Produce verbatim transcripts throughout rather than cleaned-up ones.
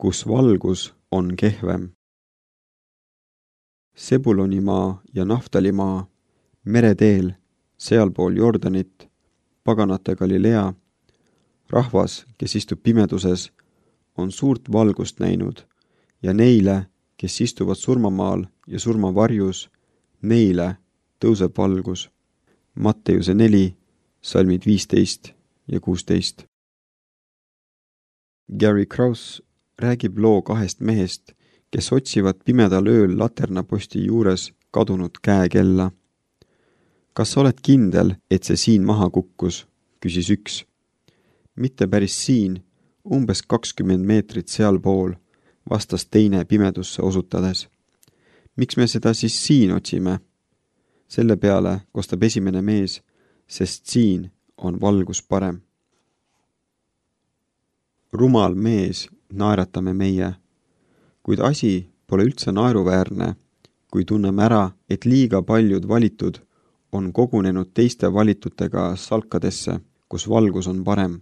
kus valgus on kehvem. Sebulonimaa ja Naftalimaa, mereteel, sealpool Jordanit, paganate Galilea, rahvas, kes istub pimeduses, on suurt valgust näinud ja neile, kes istuvad surmamaal ja surmavarjus, neile tõuseb valgus. Matteuse neli, salmid viisteist ja kuusteist. Gary Krause räägib loo kahest mehest, kes otsivad pimedal ööl laternaposti juures kadunud käekella. Kas sa oled kindel, et see siin maha kukkus, küsis üks. Mitte päris siin, umbes kakskümmend meetrit sealpool, vastas teine pimedusse osutades. Miks me seda siis siin otsime? Selle peale kostab esimene mees, sest siin on valgus parem. Rumal mees naeratame meie, kuid asi pole üldse naeruväärne, kui tunneme ära, et liiga paljud valitud on kogunenud teiste valitutega salkadesse, kus valgus on parem.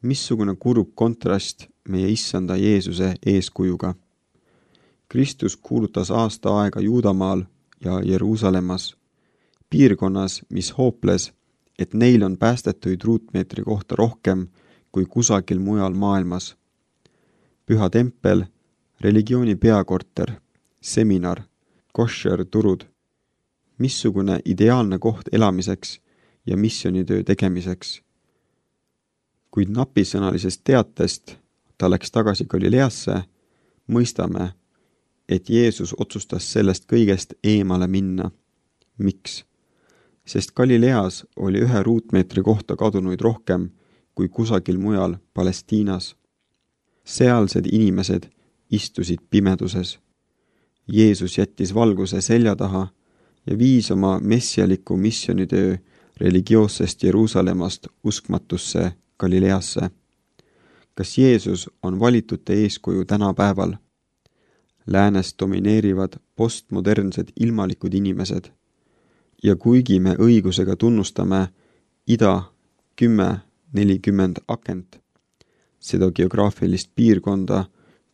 Missugune kurb kontrast meie issanda Jeesuse eeskujuga. Kristus kuulutas aasta aega Juudamaal ja Jeruusalemmas, piirkonnas, mis hooples, et neil on päästetuid ruutmeetri kohta rohkem kui kusagil mujal maailmas. Püha tempel, religiooni peakorter, seminar, koššer turud. Missugune ideaalne koht elamiseks ja missionitöö tegemiseks. Kuid napisõnalisest teatest ta läks tagasi Galileasse, mõistame, et Jeesus otsustas sellest kõigest eemale minna. Miks? Sest Galileas oli ühe ruutmeetri kohta kadunuid rohkem kui kusagil mujal Palestiinas. Sealsed inimesed istusid pimeduses. Jeesus jättis valguse selja taha ja viis oma messialiku missionitöö religioossest Jeruusalemmast uskmatusse Galileasse. Kas Jeesus on valitute eeskuju tänapäeval? Läänes domineerivad postmodernsed ilmalikud inimesed. Ja kuigi me õigusega tunnustame ida kümme nelikümmend akent, seda geograafilist piirkonda,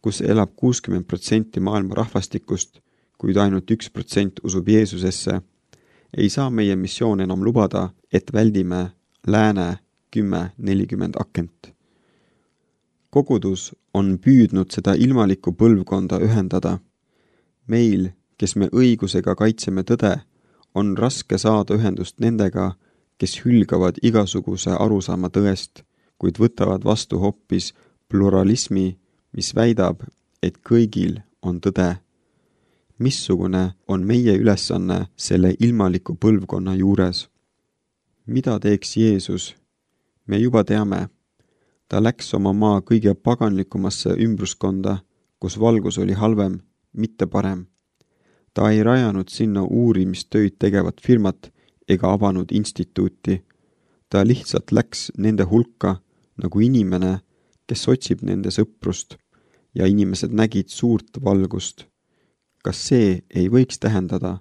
kus elab kuuskümmend protsenti maailma rahvastikust, kuid ainult üks protsent usub Jeesusesse, ei saa meie missioon enam lubada, et väldime lääne kümme nelikümmend akent. Kogudus on püüdnud seda ilmalikku põlvkonda ühendada. Meil, kes me õigusega kaitseme tõde, on raske saada ühendust nendega, kes hülgavad igasuguse arusaama tõest, kuid võtavad vastu hoopis pluralismi, mis väidab, et kõigil on tõde. Missugune on meie ülesanne selle ilmaliku põlvkonna juures? Mida teeks Jeesus? Me juba teame. Ta läks oma maa kõige paganlikumasse ümbruskonda, kus valgus oli halvem, mitte parem. Ta ei rajanud sinna uurimistöid tegevat firmat ega avanud instituuti. Ta lihtsalt läks nende hulka nagu inimene, kes otsib nende sõprust ja inimesed nägid suurt valgust. Kas see ei võiks tähendada,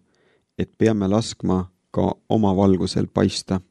et peame laskma ka oma valgusel paista?